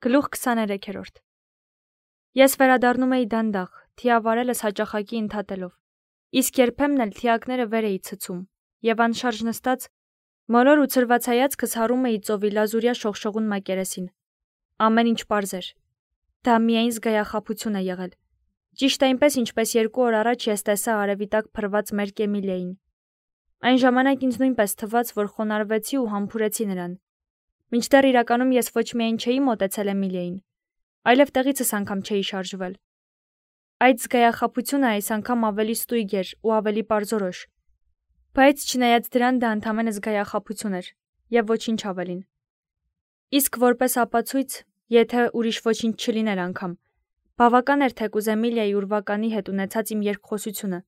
Գլուխ 23-րդ Ես վերադառնում էի դանդաղ, թիավարելս հաճախակի ընդհատելով, իսկ երբեմն էլ թիակները վեր էի ցցում, և անշարժ նստած, մոլոր ու ցրված հայացքս հառում էի ծովի լազուրյա շողշողուն մակերեսին։ Ամեն ինչ պարզ էր։ Դա միայն զգայախաբություն է եղել։ Ճիշտ այնպես, ինչպես 2 օր առաջ ես տեսա արևի տակ փռված մերկ Էմիլիային։ Այն ժամանակ ինձ նույնպես թվաց, որ խոնարհվեցի ու համբուրեցի նրան։ Մինչդեռ իրականում ես ոչ միայն չէի մոտեցել Էմիլիային, այլև տեղիցս անգամ չէի շարժվել։ Այդ զգայախաբությունը այս անգամ ավելի ստույգ էր ու ավելի պարզորոշ։ Բայց չնայած դրան դա ընդամենը զգայախաբություն էր և ոչինչ ավելին։ Իսկ որպես ապացույց, եթե ուրիշ ոչինչ չլիներ անգամ, բավական էր թեկուզ Էմիլիայի ուրվականի հետ ունեցած իմ երկխոսությունը,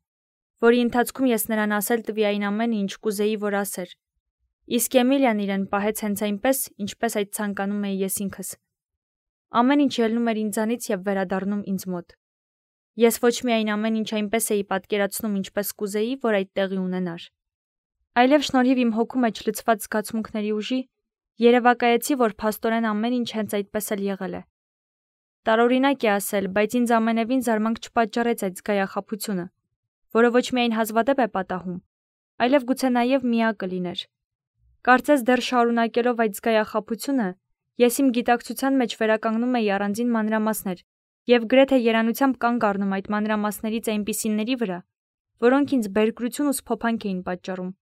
որի ընթացքում ես նրան ասել տվի այն ամենը, ինչ կուզեի, որ ասեր։ Իսկ Էմիլիան իրեն պահեց հենց այնպես, ինչպես այդ ցանկանում էի ես ինքս։ Ամեն ինչ ելնում էր ինձանից և վերադառնում ինձ մոտ։ Ես ոչ միայն ամեն ինչ այնպես էի պատկերացնում, ինչպես կուզեի, որ այդ տեղի ունենար, այլև շնորհիվ իմ հոգու մեջ լցված զգացմունքների ուժի, երևակայեցի, որ փաստորեն ամեն ինչ հենց այդպես էլ եղել է։ Տարօրինակ է ասել, բայց ինձ ամենևին զարմանք չպատճառեց այդ զգայախաբությունը, որը ոչ միայն հազվադեպ է պատահում, այլև գուցե նաև միակը լիներ։ Կարծես դեռ շարունակելով այդ զգայախաբությունը, ես իմ գիտակցության մեջ վերականգնում էի առանձին մանրամասներ և գրեթե երանությամբ կանգ առնում այդ մանրամասներից այնպիսիների վրա, որոնք ինձ բերկրություն ու սփոփանք էին պատճառում։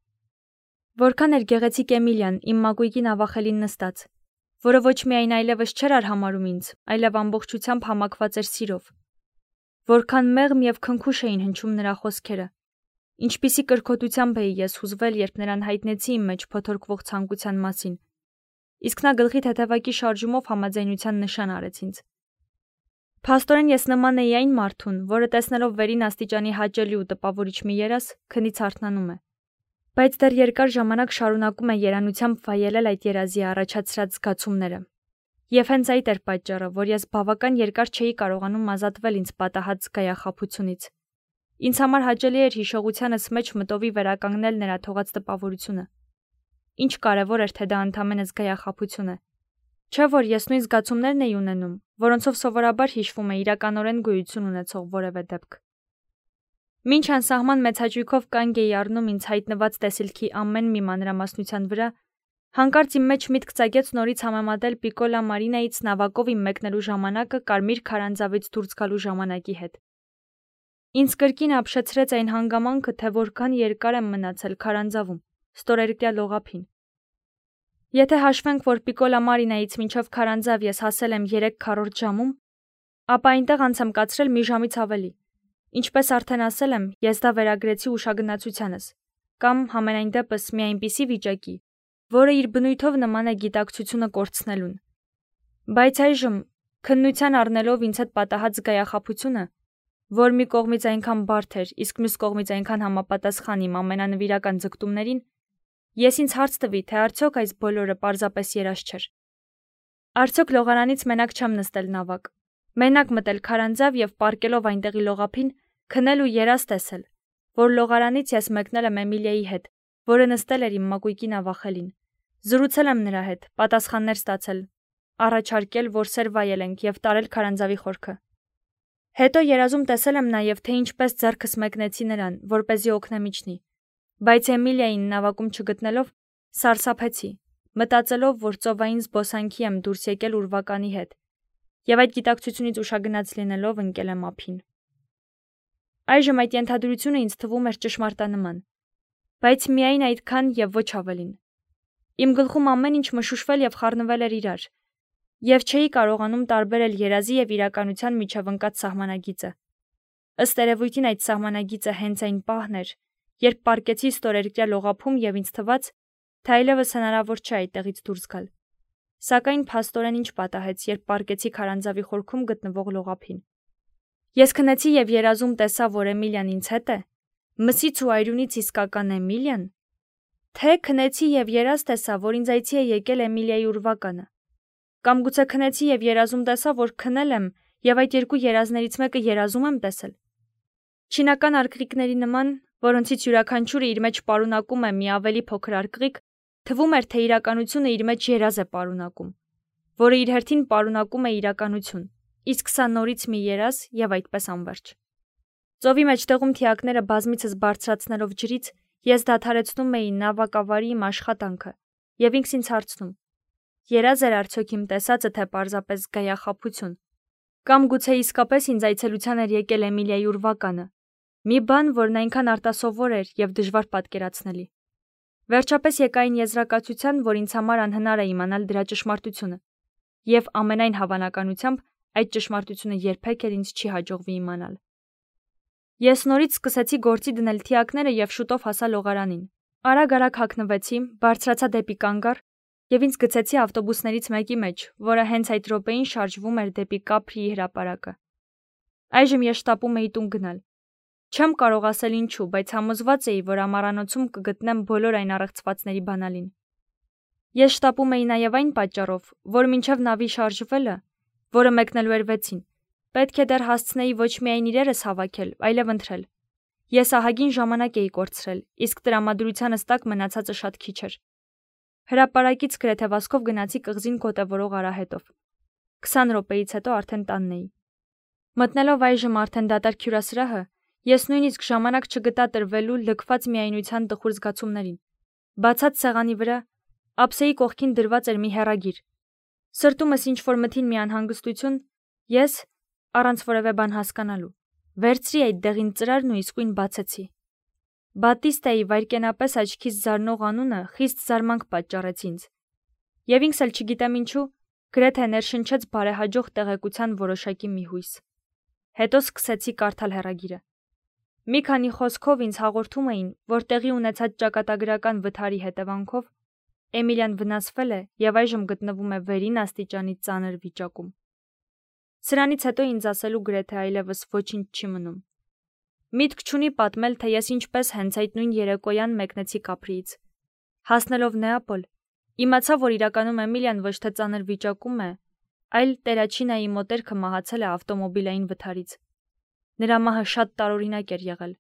Որքան էր գեղեցիկ Էմիլիան իմ մակույկին ավախելին նստած, որը ոչ միայն այլևս չէր արհամարհում ինձ, այլև ամբողջությամբ համակված էր սիրով։ Որքան մեղմ և քնքուշ էին հնչում նրա խոսքերը։ Ինչպիսի կրքոտությամբ էի ես հուզվել, երբ նրան հայտնեցի իմ մեջ փոթորկվող ցանկության մասին, իսկ նա գլխի թեթևակի շարժումով համաձայնության նշան արեց ինձ։ Փաստորեն ես նման էի այն մարդուն, որը տեսնելով վերին աստիճանի հաճելի ու տպավորիչ մի երազ, քնից հարթնանում է, բայց դեռ երկար ժամանակ շարունակում է երանությամբ վայելել այդ երազի առաջացրած զգացումները։ Եվ հենց այդ էր պատճառը, որ ես բավական երկար չէի կարողանում ազատվել ինձ պատահած զգայախաբությունից։ Ինձ համար հաճելի էր հիշողությանս մեջ մտովի վերականգնել նրա թողած տպավորությունը։ Ինչ կարևոր էր, թե դա ընդամենը զգայախաբություն է։ Չէ՞ որ ես նույն զգացումներն էի ունենում, որոնցով սովորաբար հիշվում է իրականորեն գոյություն ունեցող որևէ դեպք։ Մինչ անսահման մեծ հաճույքով կանգ էի առնում ինձ հայտնված տեսիլքի ամեն մի մանրամասնության վրա, հանկարծ իմ մեջ միտք ծագեց նորից համեմատել Պիկոլա Մարինայից նավակով իմ մեկնելու ժամանակը Կարմիր քարանձավից դուրս գալու ժամանակի հետ։ Ինձ կրկին ապշեցրեց այն հանգամանքը, թե որքան երկար եմ մնացել քարանձավում, ստորերկրյա լողափին։ Եթե հաշվենք, որ Պիկոլա Մարինայից մինչև քարանձավ ես հասել եմ 3/4 ժամում, ապա այնտեղ անց եմ կացրել մի ժամից ավելի։ Ինչպես արդեն ասել եմ, ես դա վերագրեցի ուշագնացությանս, կամ համենայն դեպս մի այնպիսի վիճակի, որը իր բնույթով նման է գիտակցությունը կորցնելուն։ Բայց այժմ, քննության առնելով ինձ հետ պատահած զգայախաբությունը, որ մի կողմից այնքան բարդ էր, իսկ մյուս կողմից այնքան համապատասխան իմ ամենանվիրական ձգտումներին, ես ինձ հարց տվի, թե արդյոք այս բոլորը պարզապես երազ չէր։ Արդյոք լողարանից մենակ չեմ նստել նավակ, մենակ մտել քարանձավ և պառկելով այնտեղի լողափին, քնել ու երազ տեսել, որ լողարանից ես մեկնել եմ Էմիլիայի հետ, որը նստել էր իմ մակույկի նավախելին։ Զրուցել եմ նրա հետ, պատասխաններ ստացել, առաջարկել, որ սեր վայելենք և տարել քարանձավի խորքը։ Հետո երազում տեսել եմ նաև, թե ինչպես ձեռքս մեկնեցի նրան, որպեսզի օգնեմ իջնի, բայց Էմիլիային նավակում չգտնելով, սարսափեցի, մտածելով, որ ծովային զբոսանքի եմ դուրս եկել ուրվականի հետ, և այդ գիտակցությունից ուշագնաց լինելով ընկել եմ ափին։ Այժմ այդ ենթադրությունը ինձ թվում էր ճշմարտանման, բայց միայն այդքան և ոչ ավելին։ Իմ գլխում ամեն ինչ մշուշվել և խառնվել էր իրար, և չէի կարողանում տարբերել երազի և իրականության միջև ընկած սահմանագիծը։ Ըստ երևույթին այդ սահմանագիծը հենց այն պահն էր, երբ պառկեցի ստորերկրյա լողափում և ինձ թվաց, թե այլևս հնարավոր չէ այդտեղից դուրս գալ։ Սակայն փաստորեն ինչ պատահեց, երբ պառկեցի քարանձավի խորքում գտնվող լողափին։ Ես քնեցի և երազում տեսա, որ Էմիլիան ինձ հետ է, մսից ու այրունից իսկական Էմիլիան, թե քնեցի և երազ տեսա, որ ինձ այցի է եկել Էմիլիայի ուրվականը, կամ գուցե քնեցի և երազում տեսա, որ քնել եմ և այդ երկու երազներից մեկը երազում եմ տեսել։ Չինական արկղիկների նման, որոնցից յուրաքանչյուրը իր մեջ պարունակում է մի ավելի փոքր արկղիկ, թվում էր, թե իրականությունը իր մեջ երազ է պարունակում։ որը իր հերթին պարունակում է իրականություն, իսկ սա նորից մի երազ եւ այդպես անվերջ։ Ծովի մեջտեղում թիակները բազմիցս բարձրացնելով ջրից, ես դադարեցնում էի նավակավարի իմ աշխատանքը եւ ինքս ինձ հարցնում. երազ էր արդյոք իմ տեսածը, թե պարզապես գայախաբություն, կամ գուցե իսկապես ինձ այցելության էր եկել Էմիլիայի ուրվականը, մի բան, որն այնքան արտասովոր էր եւ դժվար պատկերացնելի։ Վերջապես եկա այն եզրակացության, որ ինձ համար անհնար է իմանալ դրա ճշմարտությունը, եւ ամենայն հավանականությամբ այդ ճշմարտությունը երբեք էլ ինձ չի հաջողվի իմանալ։ Ես նորից սկսեցի գործի դնել թիակները եւ շուտով հասա լողարանին։ Արագ-արագ հագնվեցի, բարձրացա դեպի կանգառ եւ ինձ գցեցի ավտոբուսներից մեկի մեջ, որը հենց այդ րոպեին շարժվում էր դեպի Կապրիի հրապարակը։ Այժմ ես շտապում էի տուն գնալ։ Չեմ կարող ասել ինչու, բայց համոզված էի, որ ամառանոցում կգտնեմ բոլոր այն առեղծվածների բանալին։ Ես շտապում էի նաեւ այն պատճառով, որ մինչև նավի շարժվելը, որը մեկնելու էր 6-ին, պետք է դեռ հասցնեի ոչ միայն իրերս հավաքել, այլև ընթրել։ Ես ահագին ժամանակ էի կորցրել, իսկ տրամադրությանս տակ մնացածը շատ քիչ էր։ Հրապարակից գրեթե վազքով գնացի կղզին գոտևորող արահետով։ 20 րոպեից հետո արդեն տանն էի։ Մտնելով այժմ արդեն դատարկ հյուրասրահը, ես նույնիսկ ժամանակ չգտա տրվելու լքված միայնության տխուր զգացումներին։ Բացած սեղանի վրա ափսեի կողքին դրված էր մի հեռագիր։ Սրտումս ինչ-որ մթին մի անհանգստություն, ես, առանց որևէ բան հասկանալու, վերցրի այդ դեղին ծրարն ու իսկույն բացեցի։ Բատիստայի վայրկենապես աչքից զարնող անունը խիստ զարմանք պատճառեց ինձ։ Եվ ինքս էլ չգիտեմ ինչու, գրեթե ներշնչեց բարեհաջող տեղեկության որոշակի մի հույս։ Հետո սկսեցի կարդալ հեռագիրը։ Մի քանի խոսքով ինձ հաղորդում էին, որ տեղի ունեցած ճակատագրական վթարի հետևանքով Էմիլիան վնասվել է եւ այժմ գտնվում է վերին աստիճանի ծանր վիճակում։ Սրանից հետո ինձ ասելու գրեթե այլևս ոչինչ չի մնում։ Միտք չունի պատմել, թե ես ինչպես հենց այդ նույն երեկոյան մեկնեցի Կապրիից։ Հասնելով Նեապոլ, իմացա, որ իրականում Էմիլիան ոչ թե ծանր վիճակում է, այլ Տերաչինայի մոտերքը մահացել է ավտոմոբիլային վթարից։ Նրա մահը շատ տարօրինակ էր եղել։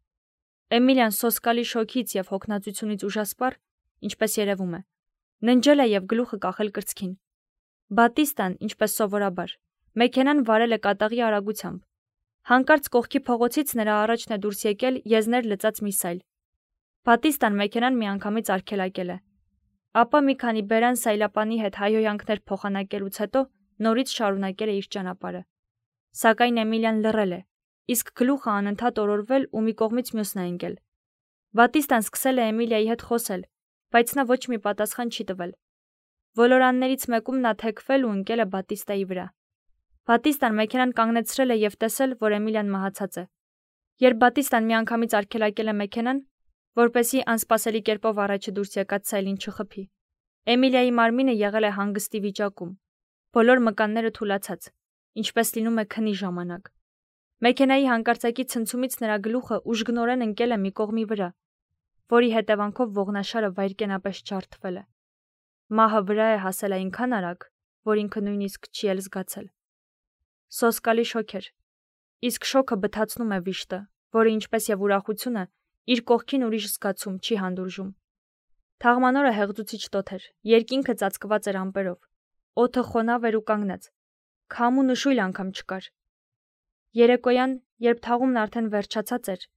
Էմիլիան սոսկալի շոկից եւ հոգնածությունից ուժասպառ, ինչպես երևում է, ննջել է եւ գլուխը կախել կրծքին։ Բատիստան, ինչպես սովորաբար, մեքենան վարել է կատաղի արագությամբ։ Հանկարծ կողքի փողոցից նրա առաջն է դուրս եկել եզներ լծած մի սայլ։ Բատիստան մեքենան միանգամից արգելակել է։ Ապա մի քանի բերան սայլապանի հետ հայհոյանքներ փոխանակելուց հետո նորից շարունակել է իր ճանապարհը։ Սակայն Էմիլիան լռել է, իսկ գլուխը անընդհատ օրորվել ու մի կողմից մյուսն է ընկել։ Բատիստան սկսել է Էմիլիայի հետ խոսել, բայց նա ոչ մի պատասխան չի տվել։ Ոլորաններից մեկում նա թեքվել ու ընկել է Բատիստայի վրա։ Բատիստան մեքենան կանգնեցրել է եւ տեսել, որ Էմիլիան մահացած է։ Երբ Բատիստան միանգամից արգելակել է մեքենան, որպեսզի անսպասելի կերպով առաջը դուրս եկած սայլին չխփի, Էմիլիայի մարմինը եղել է հանգստի վիճակում, բոլոր մկանները թուլացած, ինչպես լինում է քնի ժամանակ։ Մեքենայի հանկարծակի ցնցումից նրա գլուխը ուժգնորեն ընկել է մի կողմի վրա, որի հետևանքով ողնաշարը վայրկենապես ջարդվել է։ Մահը վրա է հասել այնքան արագ, որ ինքը նույնիսկ չի էլ զգացել։ Սոսկալի շոկ էր, իսկ շոկը բթացնում է վիշտը, որը ինչպես եւ ուրախությունը իր կողքին ուրիշ զգացում չի հանդուրժում։ Թաղմանորը հեղձուցիչ տոթ էր, երկինքը ծածկված էր ամպերով, օդը խոնավ էր ու կանգնած, քամ ու նշույլ անգամ չկար։ Երեկոյան, երբ թաղումն արդեն վերջացած էր,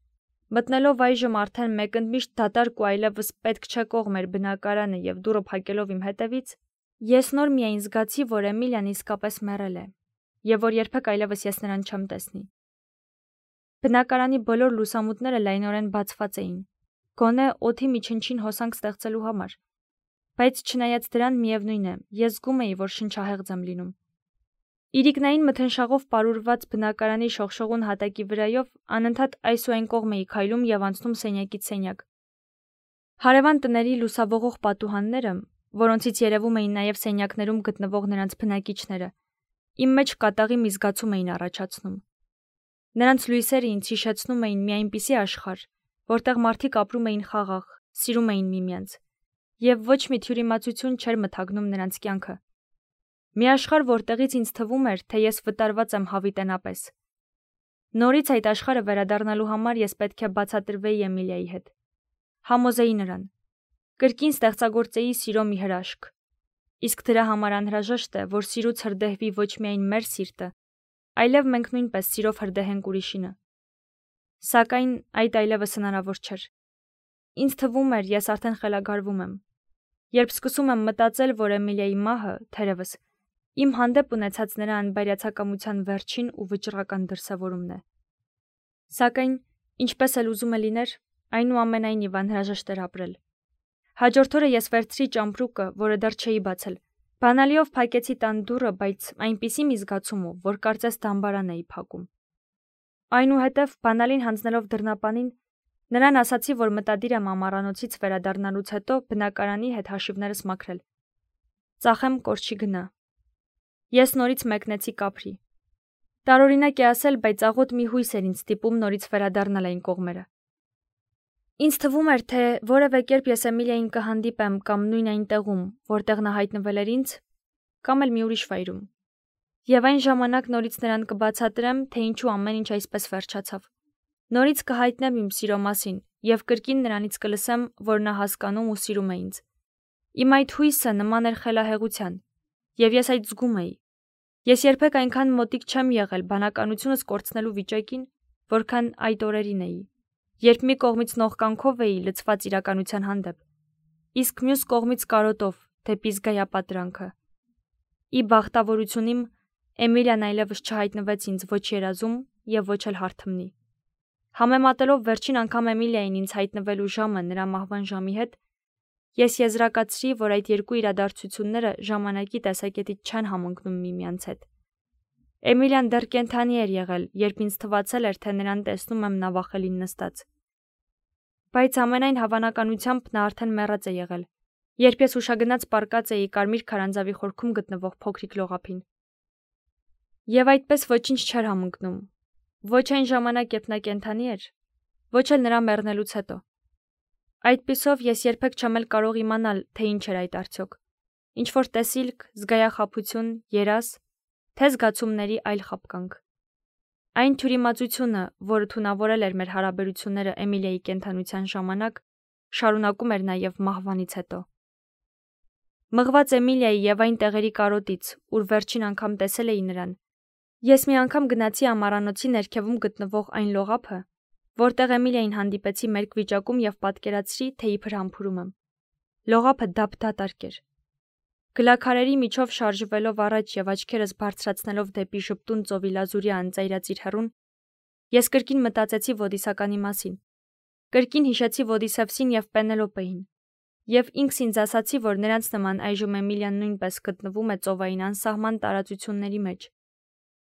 մտնելով այժմ արդեն մեկընդմիշտ դատարկ ու այլևս պետք չէ կողմ էր բնակարանը եւ դուռը փակելով իմ հետևից, ես նոր միայն զգացի, որ Էմիլիան իսկապես մեռել է եւ որ երբեք այլևս ես նրան չեմ տեսնի։ Բնակարանի բոլոր լուսամուտները լայնորեն բացված էին, գոնե օդի միջնչին հոսանք ստեղծելու համար, բայց չնայած դրան միևնույն է, ես զգում էի, որ շնչահեղձ եմ լինում։ Իրիկնային մթնշաղով պարուրված բնակարանի շողշողուն հատակի վրայով անընդհատ այս ու այն կողմ էի քայլում եւ անցնում սենյակից սենյակ։ Հարևան տների լուսավորող պատուհանները, որոնցից երևում էին նաեւ սենյակներում գտնվող նրանց բնակիչները, իմ մեջ կատաղի մի զգացում էին առաջացնում։ Նրանց լույսերը ինձ հիշեցնում էին մի այնպիսի աշխարհ, որտեղ մարդիկ ապրում էին խաղաղ, սիրում էին միմյանց, եւ ոչ մի թյուրիմացություն չէր մթագնում նրանց կյանքը։ Մի աշխարհ, որտեղից ինձ թվում էր, թե ես վտարված եմ հավիտենապես։ Նորից այդ աշխարհը վերադառնալու համար ես պետք է բացատրվեի Էմիլիայի հետ։ Համոզեի նրան։ Կրկին ստեղծագործեի սիրո մի հրաշք։ Իսկ դրա համար անհրաժեշտ է, որ սիրուց հրդեհվի ոչ միայն մեր սիրտը, այլև մենք նույնպես սիրով հրդեհենք ուրիշինը։ Սակայն այդ այլևս հնարավոր չէր։ Ինձ թվում էր, ես արդեն խելագարվում եմ։ Երբ սկսում եմ մտածել, որ Էմիլիայի մահը, թերևս, իմ հանդեպ ունեցած նրա անբարյացակամության վերջին ու վճռական դրսևորումն է։ Սակայն, ինչպես էլ ուզում է լիներ, այնուամենայնիվ անհրաժեշտ էր ապրել։ Հաջորդ օրը ես վերցրի ճամպրուկը, որը դեռ չէի բացել։ Բանալիով փակեցի տան դուռը, բայց այնպիսի մի զգացումով, որ կարծես դամբարան էի փակում։ Այնուհետև, բանալին հանձնելով դռնապանին, նրան ասացի, որ մտադիր եմ ամառանոցից վերադառնալուց հետո բնակարանի հետ հաշիվներս մաքրել։ Ծախեմ կորչի գնա։ Ես նորից մեկնեցի Կապրի։ Տարօրինակ է ասել, բայց աղոտ մի հույս էր ինձ ստիպում նորից վերադառնալ այն կողմերը։ Ինձ թվում էր, թե որևէ կերպ ես Էմիլիային կհանդիպեմ կամ նույն այն տեղում, որտեղ նա հայտնվել էր ինձ, կամ էլ մի ուրիշ վայրում։ Եվ այն ժամանակ նորից նրան կբացատրեմ, թե ինչու ամեն ինչ այսպես վերջացավ։ Նորից կհայտնեմ իմ սիրո մասին եւ կրկին նրանից կլսեմ, որ նա հասկանում ու սիրում է ինձ։ Իմ այդ հույսը նման էր խելահեղության, եւ ես այդ զգում էի։ Ես երբեք այնքան մոտիկ չեմ եղել բանականությունս կորցնելու վիճակին, որքան այդ օրերին էի, երբ մի կողմից նողկանքով էի լցված իրականության հանդեպ, իսկ մյուս կողմից կարոտով դեպի զգայապատրանքը։ Ի բախտավորություն իմ, Էմիլիան այլևս չհայտնվեց ինձ ոչ երազում եւ ոչ էլ հարթմնի։ Համեմատելով վերջին անգամ Էմիլիային ինձ հայտնվելու ժամը նրա մահվան ժամի հետ, ես եզրակացրի, որ այդ երկու իրադարձությունները ժամանակի տեսակետից չեն համընկնում միմյանց հետ։ Էմիլիան դեռ կենդանի էր եղել, երբ ինձ թվացել էր, թե նրան տեսնում եմ նավախելին նստած։ Բայց ամենայն հավանականությամբ նա արդեն մեռած է եղել, երբ ես ուշագնաց պառկած էի Կարմիր քարանձավի խորքում գտնվող փոքրիկ լողափին։ Եվ այդպես ոչինչ չէր համընկնում։ Ոչ այն ժամանակ, երբ նա կենդանի էր, ոչ էլ նրա մեռնելուց հետո։ Այդպիսով ես երբեք չեմ էլ կարող իմանալ, թե ինչ էր այդ արդյոք։ Ինչ որ տեսիլք, զգայախաբություն, երազ, թե զգացումների այլ խաբկանք։ Այն թյուրիմացությունը, որը թունավորել էր մեր հարաբերությունները Էմիլիայի կենդանության ժամանակ, շարունակում էր նաև մահվանից հետո։ Մղված Էմիլիայի եւ այն տեղերի կարոտից, ուր վերջին անգամ տեսել էի նրան, ես մի անգամ գնացի ամառանոցի ներքևում գտնվող այն լողափը, որտեղ Էմիլիային հանդիպեցի մերկ վիճակում եւ պատկերացրի, թե իբր համբուրում եմ։ Լողափը դափ-դատարկ էր։ Գլաքարերի միջով շարժվելով առաջ եւ աչքերս բարձրացնելով դեպի ժպտուն ծովի լազուրի անծայրածիր հեռուն, ես կրկին մտածեցի Ոդիսականի մասին։ Կրկին հիշեցի Ոդիսևսին եւ Պենելոպեին։ Եվ ինքս ինձ ասացի, որ նրանց նման այժմ Էմիլիան նույնպես գտնվում է ծովային անսահման տարածությունների մեջ,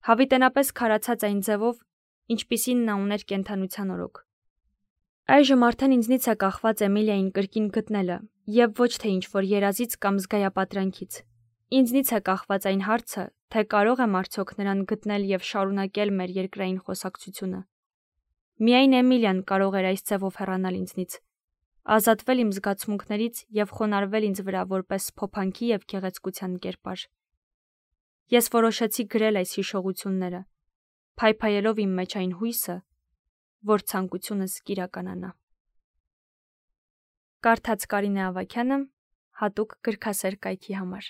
հավիտենապես քարացած այն ձևով, ինչպիսին նա ուներ կենդանության օրոք։ Այժմ արդեն ինձնից է կախված Էմիլիային կրկին գտնելը, եւ ոչ թե ինչ-որ երազից կամ զգայապատրանքից։ Ինձնից է կախված այն հարցը, թե կարող եմ արդյոք նրան գտնել եւ շարունակել մեր երկրային խոսակցությունը։ Միայն Էմիլիան կարող էր այս ձևով հեռանալ ինձնից, ազատվել իմ զգացմունքներից եւ խոնարհվել ինձ վրա որպես փոփանքի եւ գեղեցկության կերպար։ Ես որոշեցի գրել այս հիշողությունները, փայփայելով իմ մեջ այն հույսը, որ ցանկությունս կիրականանա։ Կարդաց Կարինե Ավագյանը հատուկ գրքասեր կայքի համար։